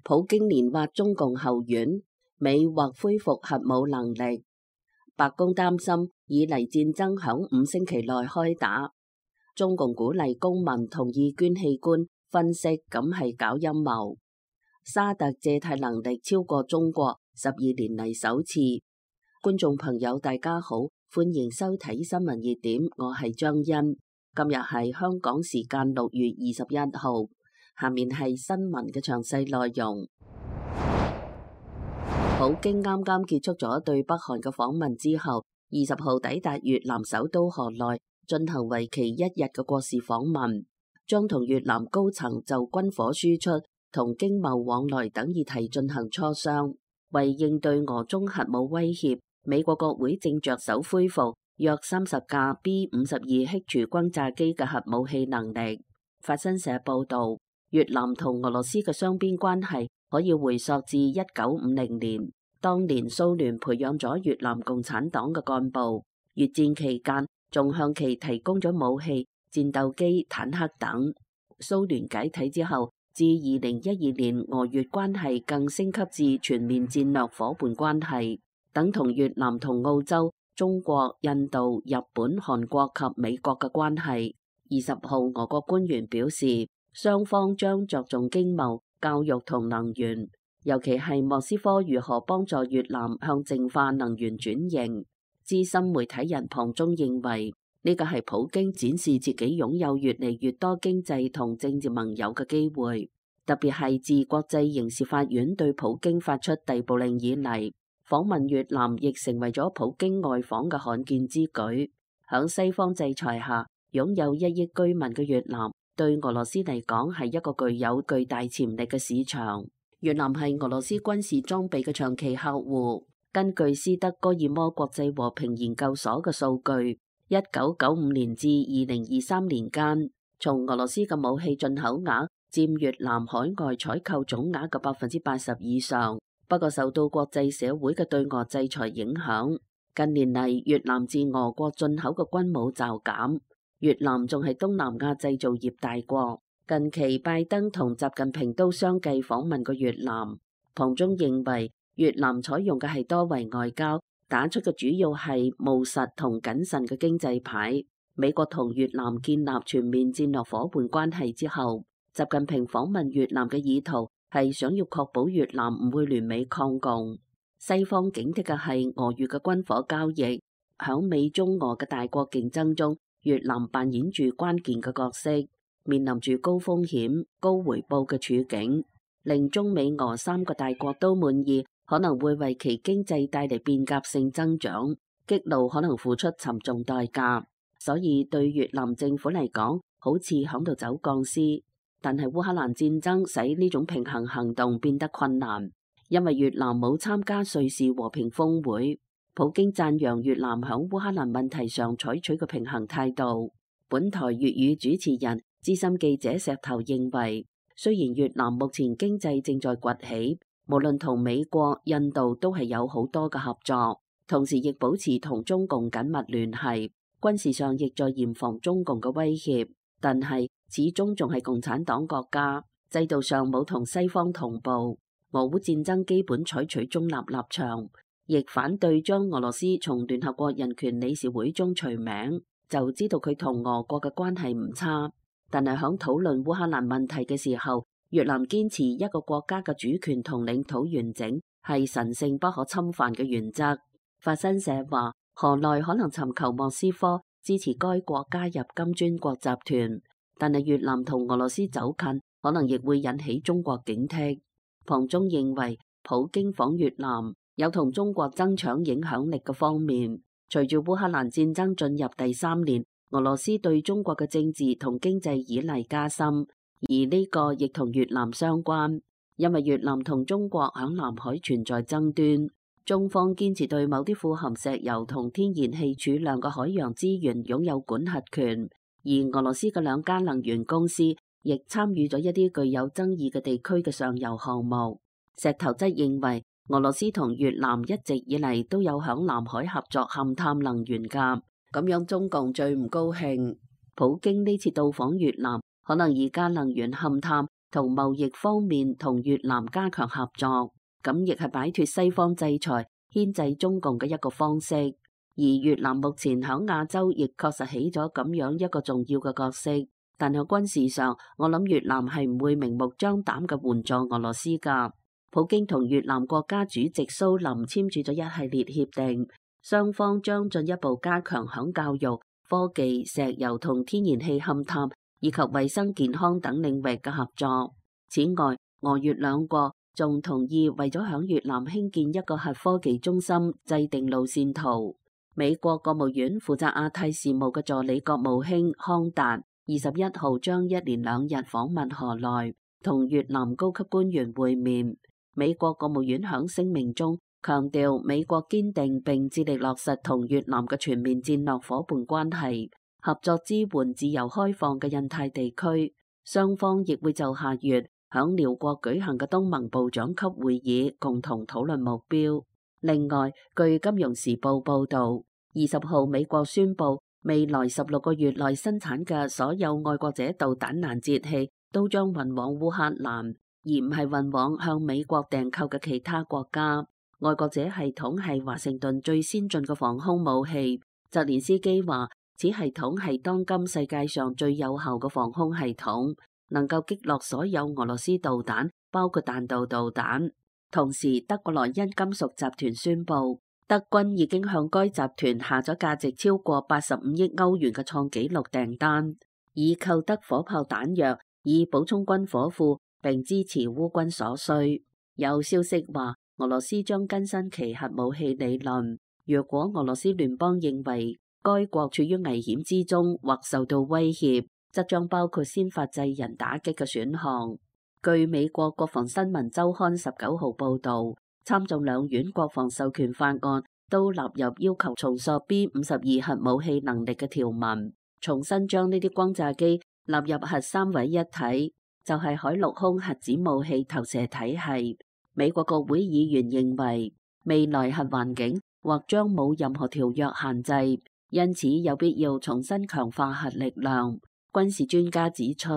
普京連挖中共後院，美或恢復核武能力。白宮擔心以黎戰爭響5星期內開打。中共鼓勵公民同意捐器官，分析咁係搞陰謀。沙特借貸能力超過中國12年嚟首次。觀眾朋友大家好，歡迎收睇新聞熱點，我係張欣。今日係香港時間6月21號，下面係新聞嘅詳細內容。普京啱啱結束咗對北韓嘅訪問之後，20號抵達越南首都河內，進行為期1日嘅國事訪問，將同越南高層就軍火輸出同經貿往來等議題進行磋商。為應對俄中核武威脅，美國國會正着手恢復約30架 B-52 戾廚轟炸機嘅核武器能力。法新社報道，越南同俄羅斯嘅雙邊關係可以回溯至1950年，當年蘇聯培養咗越南共產黨嘅幹部，越戰期間仲向其提供咗武器、戰鬥機、坦克等。蘇聯解體之後，至2012年俄越關係更升級至全面戰略夥伴關係，等同越南同澳洲、中國、印度、日本、韓國及美國嘅關係。20號俄國官員表示，雙方將着重經貿、教育同能源，尤其係莫斯科如何幫助越南向淨化能源轉型。資深媒體人龐中認為，呢個係普京展示自己擁有越嚟越多經濟同政治盟友嘅機會，特別係自國際刑事法院對普京發出逮捕令以嚟，訪問越南亦成為咗普京外訪嘅罕見之舉。響西方制裁下，擁有1億居民嘅越南對俄羅斯嚟講係一個具有巨大潛力嘅市場。越南係俄羅斯軍事裝備嘅長期客戶。根據斯德哥爾摩國際和平研究所嘅數據，1995年至2023年間，從俄羅斯嘅武器進口額佔越南海外採購總額嘅80%以上。不過受到國際社會嘅對俄制裁影響，近年嚟越南自俄國進口嘅軍武驟減。越南仲係東南亞製造業大國，近期拜登同習近平都相繼訪問過越南。龐中認為，越南採用嘅係多維外交，打出嘅主要係務實同謹慎嘅經濟牌。美國同越南建立全面戰略夥伴關係之後，習近平訪問越南嘅意圖係想要確保越南唔會聯美抗共。西方警惕嘅係俄越嘅軍火交易，響美中俄嘅大國競爭中，越南扮演住關鍵嘅角色，面臨住高風險、高回報嘅處境，令中美俄3個大國都滿意，可能會為其經濟帶嚟變革性增長，激怒可能付出沉重代價。所以對越南政府嚟講，好似響度走鋼絲。但係烏克蘭戰爭使呢種平衡行動變得困難，因為越南冇參加瑞士和平峰會。普京讚揚越南響烏克蘭問題上採取嘅平衡態度。本台粵語主持人、資深記者石頭認為，雖然越南目前經濟正在崛起，無論同美國、印度都係有好多嘅合作，同時亦保持同中共緊密聯繫，軍事上亦在嚴防中共嘅威脅，但係始終仲係共產黨國家，制度上冇同西方同步。俄烏戰爭基本採取中立立場，亦反對將俄羅斯從聯合國人權理事會中除名，就知道佢同俄國嘅關係唔差。但係響討論烏克蘭問題嘅時候，越南堅持一個國家嘅主權同領土完整係神聖不可侵犯嘅原則。法新社話，河內可能尋求莫斯科支持該國加入金磚國集團，但係越南同俄羅斯走近，可能亦會引起中國警惕。龐中認為，普京訪越南有同中國爭搶影響力嘅方面。隨住烏克蘭戰爭進入第3年，俄羅斯對中國嘅政治同經濟依賴加深，而呢個亦同越南相關，因為越南同中國響南海存在爭端，中方堅持對某啲富含石油同天然氣儲量嘅海洋資源擁有管轄權，而俄羅斯嘅2家能源公司亦參與咗一啲具有爭議嘅地區嘅上游項目。石頭則認為，俄羅斯同越南一直以嚟都有響南海合作勘探能源㗎，咁樣中共最唔高興。普京呢次到訪越南，可能2家能源勘探同貿易方面同越南加強合作，咁亦係擺脫西方制裁、牽制中共嘅一個方式。而越南目前喺亞洲亦確實起咗咁樣一個重要嘅角色，但喺軍事上，我諗越南係唔會明目張膽嘅援助俄羅斯㗎。普京同越南國家主席蘇林簽署咗一系列協定，雙方將進一步加強響教育、科技、石油同天然氣勘探以及衛生健康等領域嘅合作。此外，俄越兩國仲同意為咗響越南興建一個核科技中心制定路線圖。美國國務院負責亞太事務嘅助理國務卿康達21號將一連2日訪問河內，同越南高級官員會面。美國國務院響聲明中強調，美國堅定並致力落實同越南嘅全面戰略夥伴關係，合作支援自由開放嘅印太地區。雙方亦會就下月響寮國舉行嘅東盟部長級會議共同討論目標。另外，據金融時報報導，20號美國宣布未來16個月內生產嘅所有愛國者導彈攔截器都將運往烏克蘭，而唔係運往向美國訂購嘅其他國家。愛國者系統係華盛頓最先進嘅防空武器。澤連斯基話，此系統係當今世界上最有效嘅防空系統，能夠擊落所有俄羅斯導彈，包括彈道導彈。同時，德國萊茵金屬集團宣布，德軍已經向該集團下咗價值超過85億歐元嘅創紀錄訂單，以購得火炮彈藥，以補充軍火庫並支持烏軍所需。有消息話，俄羅斯將更新其核武器理論。若果俄羅斯聯邦認為該國處於危險之中或受到威脅，則將包括先發制人打擊嘅選項。據美國國防新聞週刊19號報導，參眾兩院國防授權法案都納入要求重塑 B-52核武器能力嘅條文，重新將呢啲轟炸機納入核三位一體，就係海陸空核子武器投射體系。美國國會議員認為，未來核環境或將冇任何條約限制，因此有必要重新強化核力量。軍事專家指出，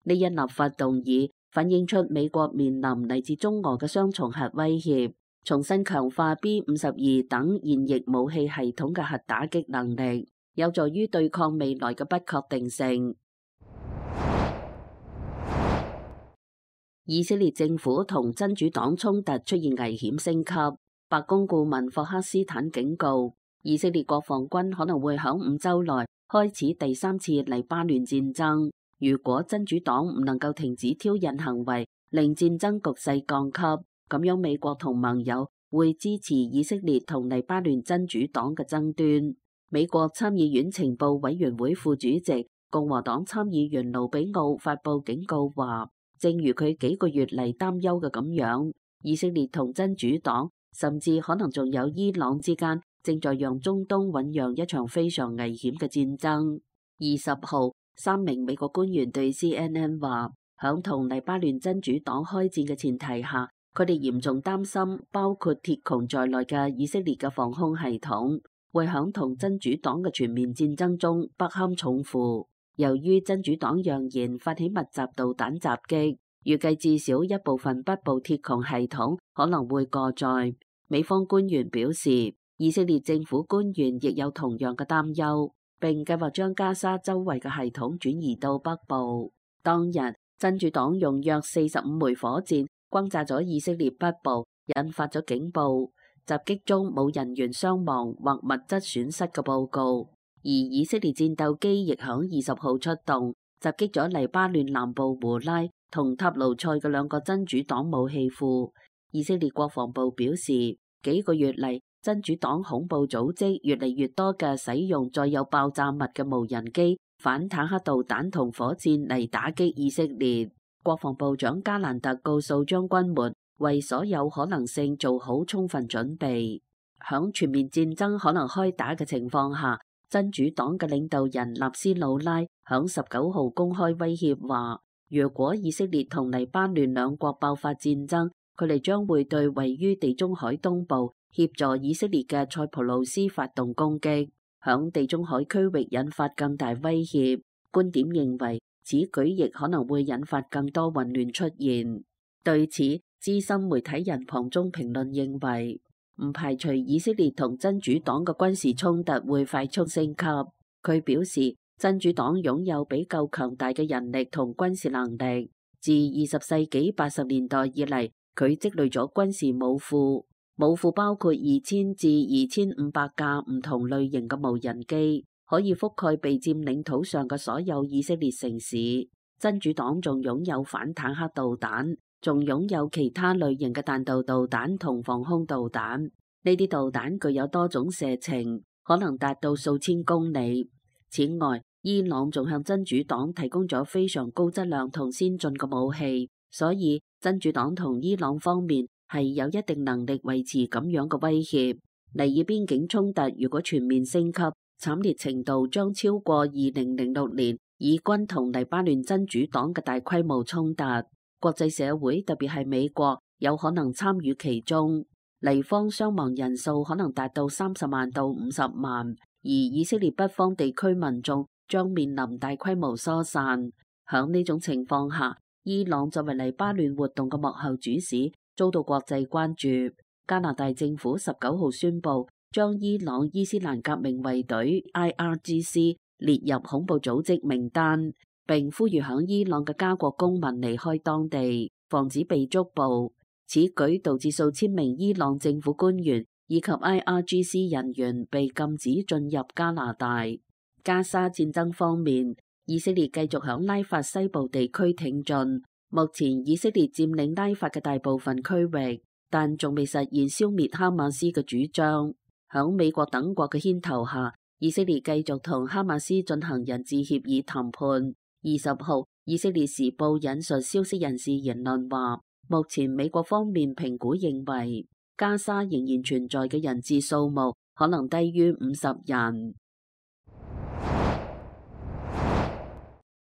呢一立法動議反映出美國面臨嚟自中俄嘅雙重核威脅，重新強化 B-52等現役武器系統嘅核打擊能力，有助於對抗未來嘅不確定性。以色列政府同真主黨衝突出現危險升級，白宮顧問霍克斯坦警告，以色列國防軍可能會喺5週內開始第3次黎巴嫩戰爭。如果真主黨唔能夠停止挑釁行為，令戰爭局勢降級，咁樣美國同盟友會支持以色列同黎巴嫩真主黨嘅爭端。美國參議院情報委員會副主席共和黨參議員盧比奧發佈警告話，正如佢幾個月嚟擔憂嘅咁樣，以色列同真主黨甚至可能仲有伊朗之間正在讓中東醞釀一場非常危險嘅戰爭。20號3名美國官員對 CNN 話，響同黎巴嫩真主黨開戰嘅前提下，佢哋嚴重擔心包括鐵穹在內嘅以色列嘅防空系統會響同真主黨嘅全面戰爭中不堪重負。由於真主黨揚言發起密集導彈襲擊，預計至少一部分北部鐵穹系統可能會過載。美方官員表示，以色列政府官員亦有同樣嘅擔憂，並計劃將加沙周圍嘅系統轉移到北部。當日，真主黨用約45枚火箭轟炸咗以色列北部，引發咗警報。襲擊中冇人員傷亡或物質損失嘅報告。而以色列戰鬥機亦響20號出動，襲擊咗黎巴嫩南部胡拉同塔盧塞嘅2個真主黨武器庫。以色列國防部表示，幾個月嚟，真主黨恐怖組織越嚟越多嘅使用載有爆炸物嘅無人機、反坦克導彈同火箭嚟打擊以色列。國防部長加蘭特告訴將軍們，為所有可能性做好充分準備。響全面戰爭可能開打嘅情況下，真主黨嘅領導人納斯魯拉響19號公開威脅話，如果以色列同黎巴嫩兩國爆發戰爭，佢哋將會對位於地中海東部協助以色列嘅塞浦路斯發動攻擊，響地中海區域引發更大威脅。觀點認為，此舉亦可能會引發更多混亂出現。對此，資深媒體人龐中評論認為，唔排除以色列同真主黨嘅軍事衝突會快速升級。佢表示，真主黨擁有比較強大嘅人力同軍事能力。自20世紀80年代以嚟，佢積累咗軍事武庫，武庫包括2000至2500架唔同類型嘅無人機，可以覆蓋被佔領土上嘅所有以色列城市。真主黨仲擁有反坦克導彈，仲擁有其他類型嘅彈道導彈同防空導彈。呢啲導彈具有多種射程，可能達到數千公里。此外，伊朗仲向真主黨提供咗非常高質量同先進嘅武器，所以真主黨同伊朗方面係有一定能力維持咁樣嘅威脅。尼爾邊境衝突如果全面升級，慘烈程度將超過2006年以軍同黎巴嫩真主黨嘅大規模衝突。國際社會特別係美國有可能參與其中，黎方傷亡人數可能達到30萬到50萬，而以色列北方地區民眾將面臨大規模疏散。響呢種情況下，伊朗作為黎巴嫩活動嘅幕後主使，遭到國際關注。加拿大政府19號宣布，將伊朗伊斯蘭革命衛隊 IRGC 列入恐怖組織名單，並呼籲響伊朗嘅加國公民離開當地，防止被捉捕。此舉導致數千名伊朗政府官員以及 IRGC 人員被禁止進入加拿大。加沙戰爭方面，以色列繼續響拉法西部地區挺進。目前以色列佔領拉法嘅大部分區域，但仲未實現消滅哈馬斯嘅主張。響美國等國嘅牽頭下，以色列繼續同哈馬斯進行人質協議談判。20號，以色列時報引述消息人士言論話，目前美國方面評估認為，加沙仍然存在嘅人質數目可能低於50人。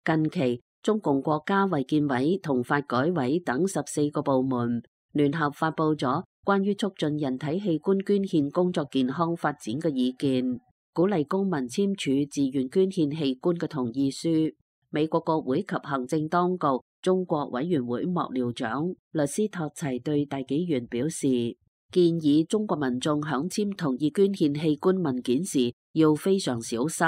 近期，中共國家衛健委同發改委等14個部門聯合發布咗關於促進人體器官捐獻工作健康發展嘅意見，鼓勵公民簽署自願捐獻器官嘅同意書。美國國會及行政當局中國委員會幕僚長律師托齊對大紀元表示，建議中國民眾響簽同意捐獻器官文件時要非常小心，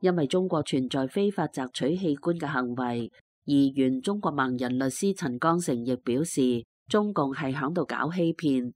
因為中國存在非法摘取器官嘅行為。而原中國盲人律師陳剛成亦表示，中共係響度搞欺騙。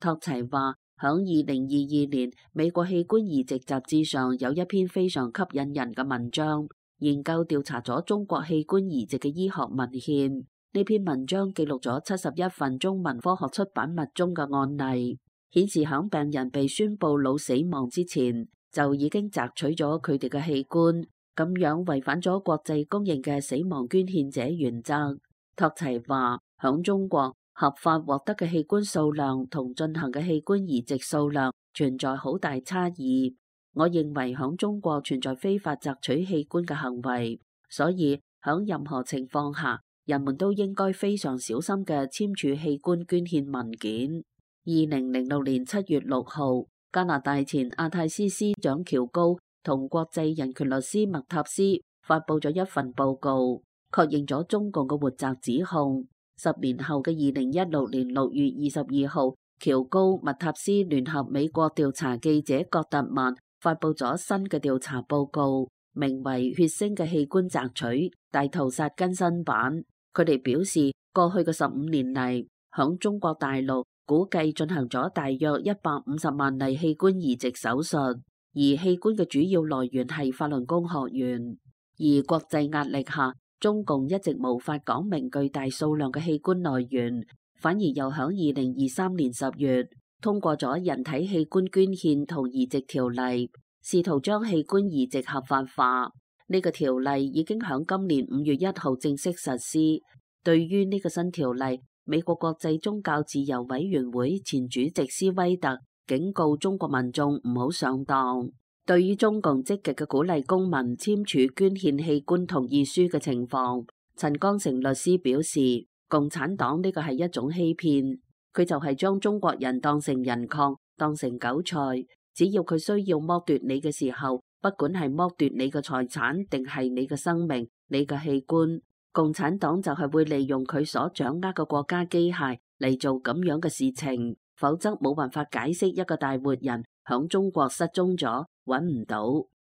托齊話，響2022年美國器官移植雜誌上有一篇非常吸引人嘅文章，研究調查咗中國器官移植嘅醫學文獻。呢篇文章記錄咗71份中文科學出版物中嘅案例，顯示響病人被宣布腦死亡之前就已經摘取咗佢哋嘅器官，咁樣違反咗國際公認嘅死亡捐獻者原則。托齊話，響中國合法獲得嘅器官數量同進行嘅器官移植數量存在好大差異。我認為響中國存在非法摘取器官嘅行為，所以響任何情況下，人們都應該非常小心嘅簽署器官捐獻文件。2006年7月6號，加拿大前亞太司司長喬高同國際人權律師麥塔斯發佈咗一份報告，確認咗中共嘅活摘指控。10年後嘅2016年6月22號，喬高、麥塔斯聯合美國調查記者葛特曼發佈咗新嘅調查報告，名為《血腥嘅器官摘取大屠殺更新版》。佢哋表示，過去嘅15年嚟，響中國大陸估計進行咗大約150萬例器官移植手術，而器官嘅主要來源係法輪功學員。而國際壓力下，中共一直無法講明巨大數量嘅器官來源，反而又響2023年10月通過咗人體器官捐獻同移植條例，試圖將器官移植合法化。呢個條例已經響今年5月1號正式實施。對於呢個新條例，美國國際宗教自由委員會前主席斯威特警告中國民眾唔好上當。對於中共積極嘅鼓勵公民簽署捐獻器官同意書嘅情況，陳剛成律師表示，共產黨呢個係一種欺騙，佢就係將中國人當成人礦，當成韭菜，只要佢需要剝奪你嘅時候，不管係剝奪你嘅財產定係你嘅生命、你嘅器官，共產黨就係會利用佢所掌握嘅國家機械嚟做咁樣嘅事情，否則冇辦法解釋一個大活人響中國失蹤咗，揾唔到，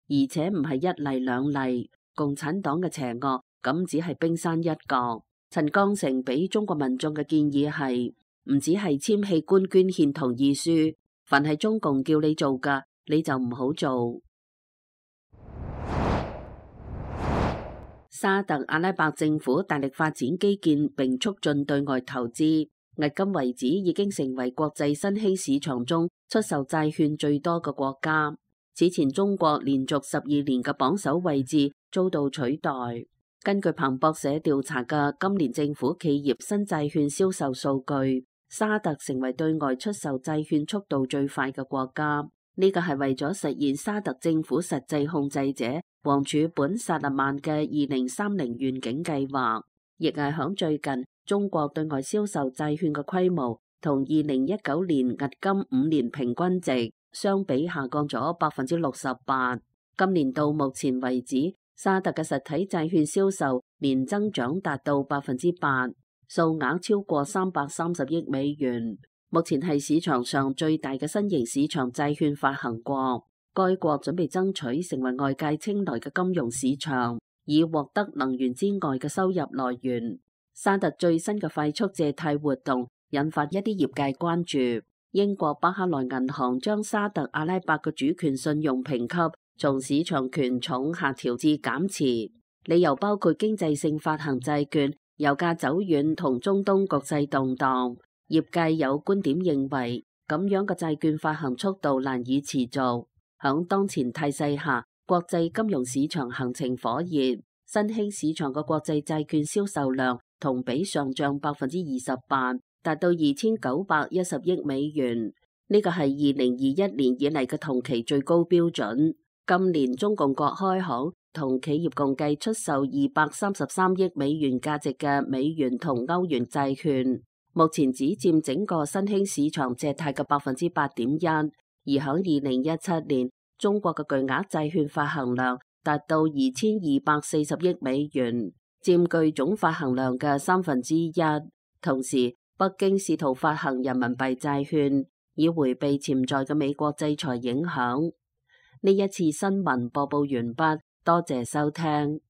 而且唔係一例兩例。共產黨嘅邪惡咁只係冰山一角。陳剛誠俾中國民眾嘅建議係，唔只係簽器官捐獻同意書，凡係中共叫你做㗎，你就唔好做。沙特阿拉伯政府大力發展基建並促進對外投資，迄今為止已經成為國際新興市場中出售債券最多嘅國家。此前中國連續12年嘅榜首位置遭到取代。根據彭博社調查嘅今年政府企業新債券銷售數據，沙特成為對外出售債券速度最快嘅國家。呢個係為咗實現沙特政府實際控制者王儲本薩勒曼嘅2030願景計劃，亦係響最近中國對外銷售債券嘅規模同2019年迄今5年平均值相比下降咗68%。今年到目前為止，沙特嘅實體債券銷售年增長達到8%，數額超過330億美元。目前係市場上最大嘅新型市場債券發行國，該國準備爭取成為外界青睞嘅金融市場，以獲得能源之外嘅收入來源。沙特最新嘅快速借貸活動引發一啲業界關注。英國巴克萊銀行將沙特阿拉伯嘅主權信用評級從市場權重下調至減持，理由包括經濟性發行債券、油價走軟同中東局勢動盪。業界有觀點認為，咁樣嘅債券發行速度難以持續。響當前態勢下，國際金融市場行情火熱，新興市場嘅國際債券銷售量同比上漲28%，達到2910億美元。呢個係2021年以嚟嘅同期最高標準。今年中共各開行同企業共計出售233億美元價值嘅美元同歐元債券。目前只佔整個新興市場借貸嘅8.1%，而喺2017年，中國嘅巨額債券發行量達到2240億美元，佔據總發行量嘅1/3。同時，北京試圖發行人民幣債券，以迴避潛在嘅美國制裁影響。呢一次新聞播報完畢，多謝收聽。